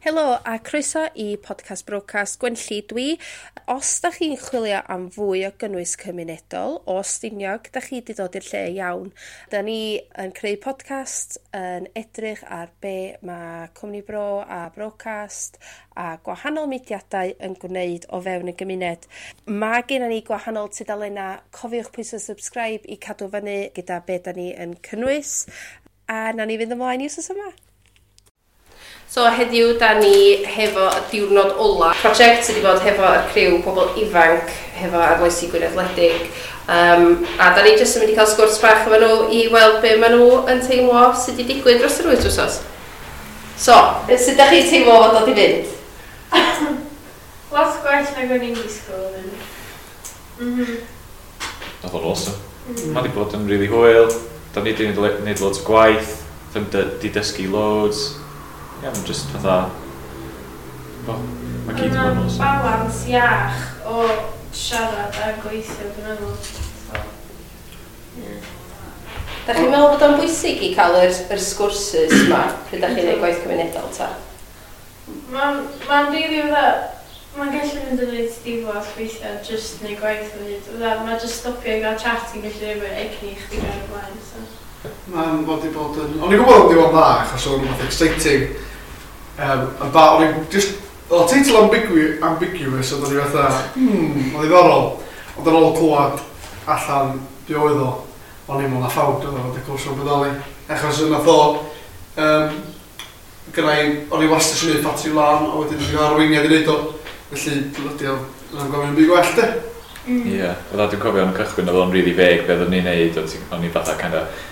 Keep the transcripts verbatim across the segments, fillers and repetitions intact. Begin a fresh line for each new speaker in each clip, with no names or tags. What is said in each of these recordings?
Helo a croeso i podcast Brocast. Gwenlli dwi. Os da chi'n chwilio am fwy o gynnwys cymunedol o Stiniog, da chi wedi dod i'r lle iawn. Da ni yn creu podcast yn edrych ar be mae Cwmni Bro a Brocast a gwahanol mudiadau yn gwneud o fewn y gymuned. Mae gennym ni gwahanol tudalennau. Cofiwch pwyso subscribe i cadw fyny gyda be da ni yn cynnwys. A na ni fynd ymlaen i wsos yma. So heddiw da ni hefo y diwrnod ola. Prosiect sydd wedi bod hefo y criw pobl ifanc hefo Arloesi Gwynedd Wledig. Um, a da ni jyst yn mynd i cael sgwrs bach efo nhw i weld be maen nhw yn teimlo sydd wedi digwydd dros yr wyth wsos. So, sut da chi'n teimlo fod dod i fynd?
Lot gwell nag o'n i'n disgwyl yn. Mm.
Oedd o'n awesome. Mm. Mae wedi bod yn really hwyl. Da ni wedi gwneud loads o gwaith. Da ni wedi dysgu loads. Ie, yeah, mae'n just fatha... Bo, mae gyd yn bod yn awesome.
Balans iach o siarad a gweithio, dwi'n meddwl. So, yeah.
Da chi'n meddwl bod o'n bwysig i cael yr, yr sgwrsys yma pryd da chi'n gwneud gwaith cymunedol ta?
Mae'n ma rili fatha, mae'n gallu mynd yn reit diflas weithiau, just neud gwaith o hyd. Fatha, mae just stopio i gael chat yn gallu rhoi egni i chdi gael y blaen. So.
Mae'n wedi bod yn... O'n i'n gwybod o'n ddiwedd dda, achos o'n rhywbeth exciting. Um, a ba, o'n i'n just... Oedd teitl ambigu, ambiguous, ond o'n i fatha, hmm, o'n ddiddorol. Ond ar ôl clywed allan be oedd o, o'n i'n meddwl na ffawd oedd o, wedi cwrs o'n bodoli. Achos nath o, um, gyda i, o'n i wastad eisiau gwneud ffatri wlân, a wedyn dwi'n cael arweiniad i wneud o. Felly, blydi o, yn gofyn yn byd gwell, de.
Ie, yeah. Fatha dwi'n cofio yn cychwyn oedd o'n really vague be oedden ni'n neud, o'n i fatha kind of,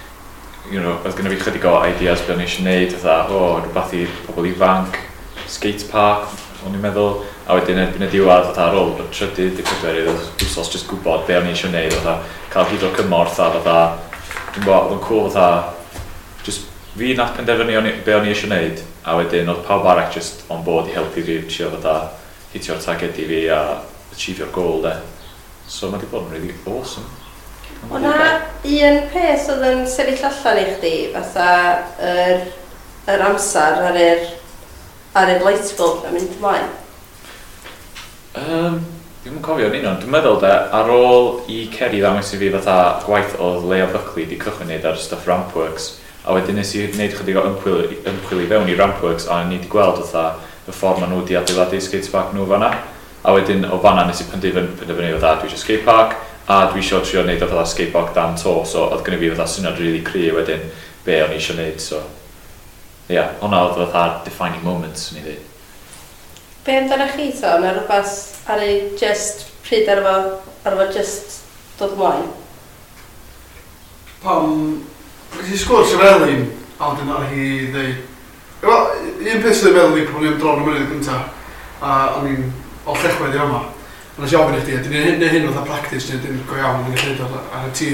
you know, oedd gynna fi chydig o ideas be o'n i eisiau neud, fatha, o, oh, rhywbeth i pobl ifanc, skate park, o'n i'n meddwl, a wedyn erbyn y diwedd, fatha ar ôl y trydydd, y pedwerydd wsos, just gwybod be o'n i eisiau neud, fatha, cael hyd o cymorth a fatha, dwi'n gwybod, oedd o'n cool fatha, just fi nath penderfynu o'n i, be o'n i eisiau neud, a wedyn oedd pawb arall just on board i helpu fi trio fatha hitio'r target i fi a achievio'r goal de. So mae wedi bod yn really awesome.
O na un peth oedd yn sefyll allan i chdi, fatha yr, yr amser ar yr, ar yr light bulb yn mynd ymlaen?
Um, Dwi'm yn cofio yn union. Dwi'n meddwl de, ar ôl i Ceri ddangos i fi fatha gwaith oedd Leia Buckley di cychwyn neud ar stuff Rampworks, a wedyn nes i wneud chydig o ymchwil, ymchwil i fewn i Rampworks, a ni wedi gweld fatha y ffordd maen nhw wedi adeiladu skatepark nhw fanna. A wedyn o fanna nes i penderfynu penderfynu fatha dwi eisiau skatepark, a dwi eisiau trio wneud o fatha skatepark dan to, so oedd gynnu fi fatha syniad really cry wedyn be o'n i eisiau wneud, so ie, yeah, hwnna oedd fatha defining moment, swn i ddweud.
Be amdano chi to? Mae rhywbeth ar ei just pryd ar efo, ar efo just dod ymlaen?
Pam, nes i sgwrs efo Elin, a wedyn ar hi ddeud, wel, un peth sydd yn meddwl i pan o'n i am dron y mynydd gynta, a o'n i'n o Llechwedd i yma. A nes i ofyn i chdi, ydyn ni'n neud hyn fatha practice, neu ydyn go iawn yn gallu neud o ar y tŷ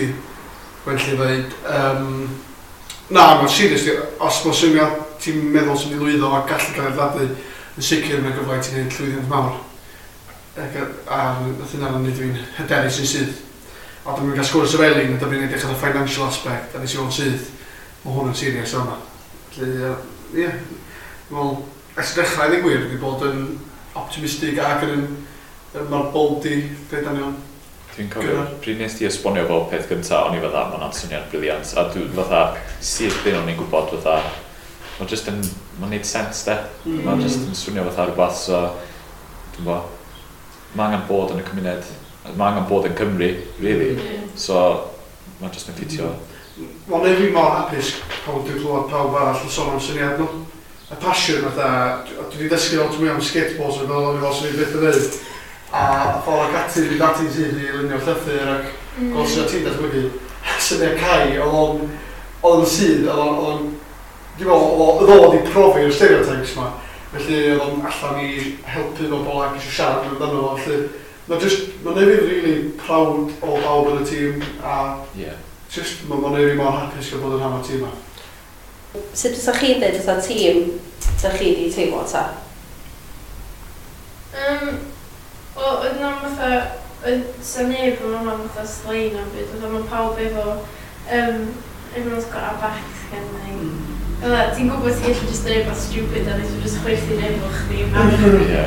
Gwenlli ddeud, um, na, mae'n serious, os mae'n syniad ti'n meddwl sy'n mynd i lwyddo a gallu cael ei adeiladu, yn sicr mae'n gyfle i ti'n neud llwyddiant mawr. Ac, a nath hynna'n neud fi'n hyderus yn syth. A dyma fi'n cael sgwrs efo Elin, a dyma fi'n edrych ar y financial aspect, a nes i weld syth, mae hwn yn serious yma. Felly, ie, yeah, wel, ers y dechrau i ddweud gwir, wedi bod yn optimistig ac yn, mae'r bold di dweud anion.
Dwi'n cofio, pryd nes ti esbonio fo peth gynta, o'n i fatha, ma' hwnna'n syniad brilliant, a dwi fatha, syth bin o'n i'n gwybod fatha, mae'n just yn, mae'n neud sense de, mm. Mae'n just yn swnio fatha rhywbeth, so, dwi'n bo, mae angen bod yn y cymuned, mae angen bod yn Cymru, really, mm. So, mae'n just yn ffitio.
Mae'n neud fi mor hapus pan dwi'n clywed pawb arall yn sôn am syniad nhw. Y passion fatha, dwi wedi dysgu lot mwy am skateboards yn fel o'n i fel sy'n byth yn neud. A ffordd ac ati, fynd ati'n syth i lunio'r llythyr ac mm. gweld syniad ti'n datblygu. Syniad Cai, oedd o'n oedd o'n sydd, oedd o'n, oedd o'n, dwi'n meddwl, oedd o wedi profi'r stereotypes ma. Felly oedd o'n allan i helpu bobl ac eisiau siarad amdano fo. Felly, mae'n just, mae'n neud fi really proud o bawb yn y tîm a
yeah.
Just, mae'n neud fi mor hapus gael bod yn rhan o'r tîm ma.
Sut fysa chi'n dweud fatha tîm da chi di teimlo ta?
Um, Wel, oedd na'n fatha, oedd sa neb yn hwnna fatha slein o'n byd, oedd mae pawb efo, um, everyone's got our backs kind of thing. Mm. Fatha, ti'n gwybod ti'n gallu just dweud rhywbeth stupid a nes i just chwerthin efo chdi.
Ie.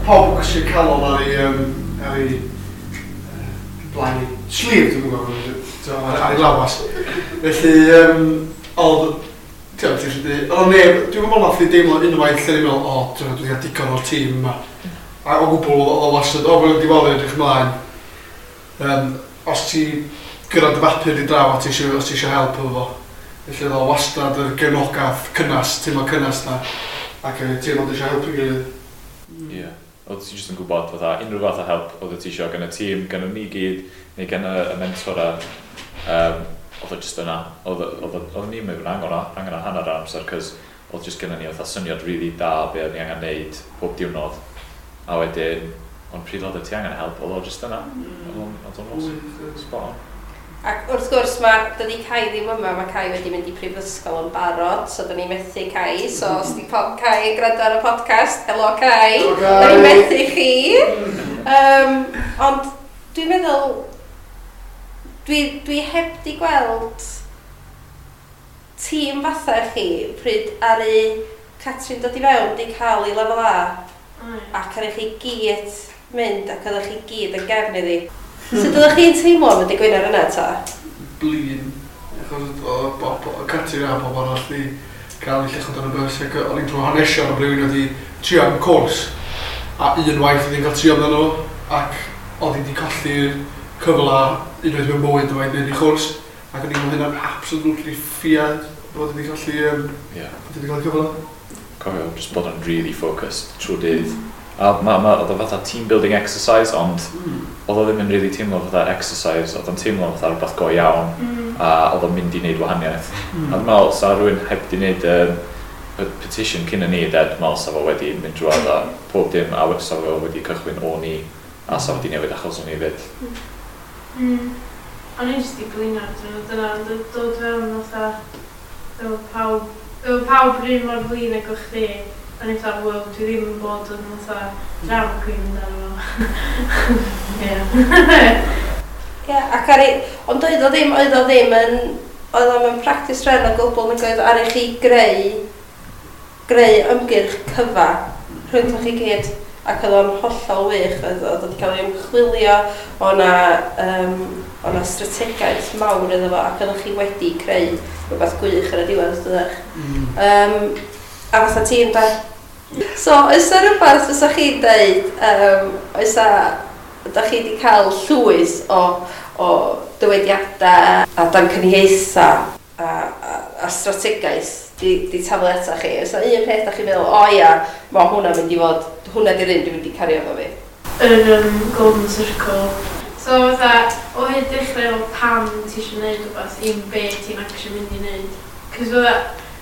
Pawb yn gwisgo calon ar ei, um, ar ei uh, blaen ei sleeve, dwi'n gwybod, ar, ar ei lawas. Felly, um, oedd, ti'n ti'n gallu dweud, oedd neb, dwi'n gwybod nath i deimlo unwaith lle ni'n meddwl, o, dwi'n dwi wedi cael digon o'r tîm yma. A o gwbl, oedd o wastad, o, mae'n wedi bod yn edrych ymlaen. Um, os ti gyrraedd dy bapur i draw a ti eisiau, os ti eisiau help efo fo. Felly oedd o wastad yr gefnogaeth cynnas, teimlo cynnas na. Ac yy, teimlo eisiau helpu gilydd.
Ie. Oedd ti jyst yn gwybod fatha unrhyw fath o help oedd ti eisiau gan y tîm, gan y ni gyd, neu gan y, y mentora. Um, oedd o jyst yna. Oedd oedd oedd ni'n mynd angen o, angen o hanner amser, cos oedd jyst gennym ni fatha syniad really da be oedd ni angen neud pob diwrnod. A wedyn, ond pryd oedd ti angen help, oedd o jyst yna. Oedd o'n oedd o'n awesome. Spot on.
Ac wrth gwrs, mae, dydy Kai ddim yma, mae Kai wedi mynd i prifysgol yn barod, so dyn ni methu Kai, so os di po- Kai yn gwrando ar y podcast, helo Kai,
Helo, Kai.
da ni'n methu chi. Um, ond dwi'n meddwl, dwi, dwi heb di gweld tîm fatha chi pryd ar ei Catrin dod i fewn di cael ei lefel A ac ar i chi gyd mynd ac oeddech chi gyd yn gefn iddi. Sut oeddech chi'n teimlo am y dydd Gwener yna ta?
Blin. Achos oedd bo- bo- Catrin a bob arall di cael ei lluchio dan y bus ac o'n i'n trwy hanesion o rhywun wedi trio am cwrs a unwaith oedd hi'n cael trio amdano fo ac oedd hi wedi colli'r cyfle unwaith mewn bywyd o wneud ei chwrs ac o'n i'n meddwl hynna'n absolutely ffiad bod wedi colli um,
Ie.
bod wedi cael y cyfle.
Cofio just bod yn really focused trwy dydd. A ma, ma, oedd o fatha team building exercise, ond
Mm.
oedd o ddim yn really teimlo fatha exercise, oedd o'n teimlo fatha rhywbeth go iawn,
Mm.
a oedd o'n mynd i wneud wahaniaeth.
Mm.
A dwi'n meddwl, sa rhywun heb di wneud um, y petition cyn y ni, de, dwi'n meddwl sa fo wedi mynd drwodd a pob dim, a sa fo wedi cychwyn o ni, a sa fo wedi newid achos o'n i fyd.
Mm. O'n i jyst i blino, dwi'n meddwl, dyna, ond dod dod fewn fatha, efo pawb, efo pawb rhan mor flin ag o'ch chdi, o'n i fatha, wel, dwi ddim yn bod yn fatha drama queen amdano fo. Ie.
Ie, ac ar ei, ond oedd o ddim, oedd o ddim yn, oedd o'm yn practice run o gwbl nag oedd ar i chi greu, greu ymgyrch cyfa rhwngthoch chi gyd ac oedd o'n hollol wych, oedd oedd wedi cael ei ymchwilio, o na, um, o na strategaeth mawr iddo fo ac oeddech chi wedi creu rhywbeth gwych ar y diwedd, dydych?
Mm.
Um, a fatha tîm da. So, oes 'na rhywbeth fysa chi'n deud, um, oes 'na, ydych chi wedi cael llwyth o, o dywediadau a damcaniaethau a, a, a strategaeth di, di taflu ata chi? Oes 'na un peth da chi'n meddwl, o ia, mae hwnna'n mynd i fod, hwnna di'r un dwi'n mynd i cario efo fi.
Yr um, Golden Circle. So fatha, o hyd dechrau efo pam ti eisiau gwneud rhywbeth, i'm be ti'n actually mynd i wneud. Cos fatha,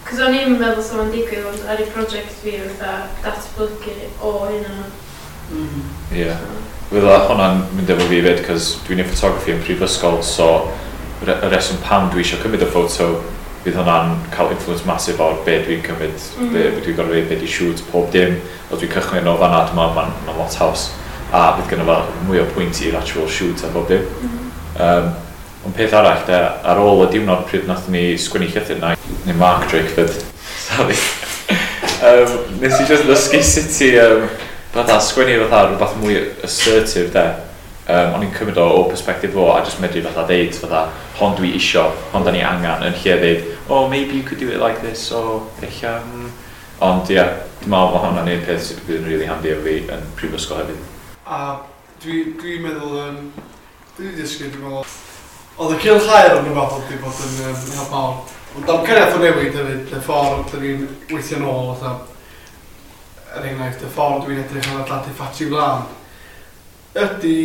cos o'n i'n meddwl sa fo'n digwydd, ond ar ei project fi fatha datblygu o hynna.
Mm.
Ie. Yeah. Fydda hwnna'n mynd efo fi fyd, cos dwi'n neud photography yn prifysgol, so re- y reswm pam dwi eisiau cymryd y ffoto, fydd hwnna'n cael influence massive o'r be dwi'n cymryd, mm. be, be dwi'n gorfod be di shoot, pob dim. Os dwi'n cychwyn o fanna, dwi'n meddwl mae'n ma lot haws. A fydd gynno fo mwy o pwynt i'r actual shoot a bob dim.
Mm.
Um, ond peth arall, de, ar ôl y diwrnod pryd nath ni sgwennu llythyr na, neu Mark Drakeford, sorry. um, nes i just ddysgu sut i um, fatha sgwennu fatha rhywbeth mwy assertive de. Um, o'n i'n cymryd o o perspective fo a just medru fatha deud fatha hon dwi isio, hon da ni angen yn lle deud oh maybe you could do it like this o ella mm. Ond ie, yeah, dwi'n meddwl bod hwnna'n un peth sydd fydd yn really handy efo fi yn prifysgol hefyd.
A dwi, dwi'n meddwl, um, dwi wedi dysgu, dwi'n meddwl, oedd y cylch aer yn rhywbeth oedd wedi bod yn um, help mawr. Ond damcaniaeth o newid hefyd, y ffordd dyn ni'n weithio nôl, fatha, er enghraifft, y ffordd dwi'n edrych ar adeiladu ffatri wlân, ydy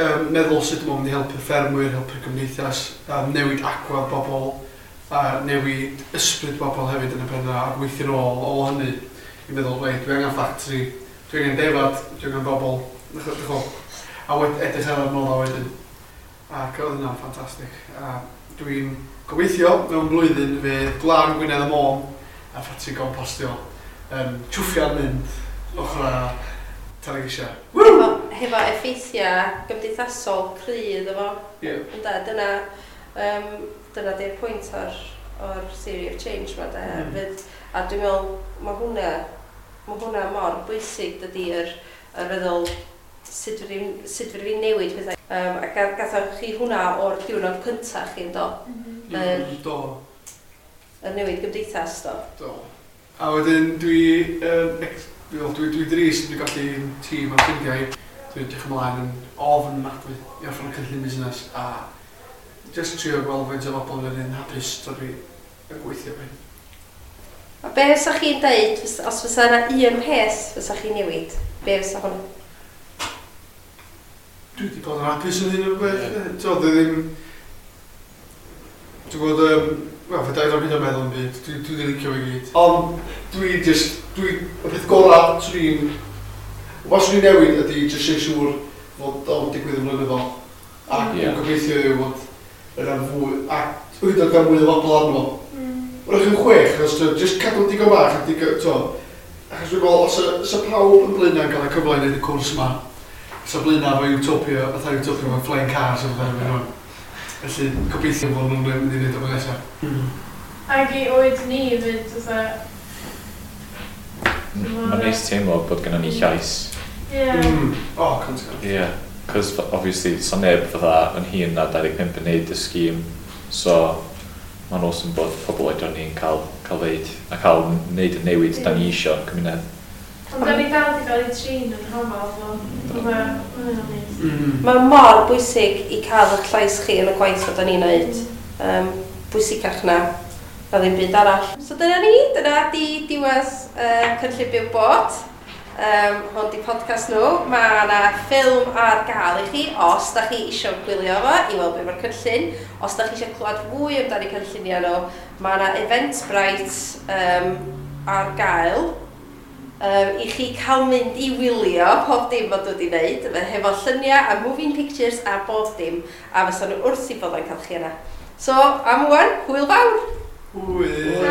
um, meddwl sut mae'n mynd i helpu'r ffermwyr, helpu'r gymdeithas, um, newid agwedd bobl, a newid ysbryd bobl hefyd yn y pen a gweithio nôl o hynny i meddwl, reit, dwi angen ffatri, dwi angen defad, dwi angen bobl, dych chi'n a wed edrych ar yr nôl wedyn. Ac oedd hynna'n ffantastig. A dwi'n gobeithio mewn blwyddyn fydd Glan Gwynedd y Môn a ffatri gompostio yn twffian mynd ochr a Tanygrisiau.
Hefo, hefo effeithiau gymdeithasol cry iddo fo.
Ie.
Ynde, dyna, um, dyna di'r pwynt o'r, o'r theory of change ma de.
Mm.
Fydd, a dwi'n meddwl, mae hwnna, mae hwnna mor bwysig dydy yr, yr feddwl sut fyddi sut fyddi fi'n newid pethau. Um, a ga- gathoch chi hwnna o'r diwrnod cyntaf chi yn do,
Mhm.
Yr-
Mm, Do,
y newid gymdeithas do.
do. A wedyn dwi, um, ex, dwi, dwi, dwi drist dwi'n gallu tîm a ffrindiau. Dwi'n edrych ymlaen yn ofnadwy i orffen y cynllun busnes a just trio gweld faint o bobl yn un hapus tra dwi yn gweithio fe.
A be fysa chi'n deud, fys- os fysa yna un peth fysa chi'n newid, be fysa hwn?
Dwi wedi bod yn hapus yn hyn o beth.
Ie.
T'o, dwi ddim... Dwi'n gwybod, um, wel, fe dau hyd yn meddwl yn byd, dwi, dwi wedi licio fe gyd. Ond dwi just, dwi, y peth gorau swn i'n, os swn i'n newid ydy just neud siŵr fod o'n digwydd yn flynyddol. A
Ie.
dwi'n gobeithio yw fod yna fwy, a hyd yn oed gael mwy o bobl arno fo.
Mm.
Wrach yn chwech, achos t'o, just cadw digon bach a digon, t'o, achos dwi'n meddwl, os y, os y pawb yn Blaenau yn cael y cyfle i wneud y cwrs yma, os y Blaenau efo Utopia, fatha Utopia efo flying cars o fatha rhywun. Felly, gobeithio fod nhw'n mynd i wneud o nesaf.
Ac i oed ni fyd, fatha...
Mae'n neis teimlo bod gennym ni llais.
Ie.
Mm. O, cant y cant.
Ie. Yeah. Cos obviously, so neb fatha yn hŷn na dau ddeg pump yn neud y scheme. So, mae'n awesome bod pobl oedran ni'n cael, cael ddeud a cael neud y newid da ni isio yn cymuned.
Ond da ni dal di gael ei trin yn hafal, so... Fatha, ma' hynna'n neis.
Mm.
Mae mor bwysig i cael eich llais chi yn y gwaith fod ni'n neud. Um, bwysicach na, na ddim byd arall. So dyna ni, dyna di diwedd uh, cynllun Byw Bod. Um, hwn di podcast nhw. Mae yna ffilm ar gael i chi os da chi eisiau gwylio fo i weld beth mae'r cynllun. Os da chi eisiau clywed fwy amdano cynlluniau nhw, mae yna Eventbrite um, ar gael um, i chi cael mynd i wylio pob dim bod wedi wneud, hefo lluniau a moving pictures a bob dim, a fysa nhw wrth i bod yn cael chi yna. So, am wan, hwyl fawr!
Hwyl.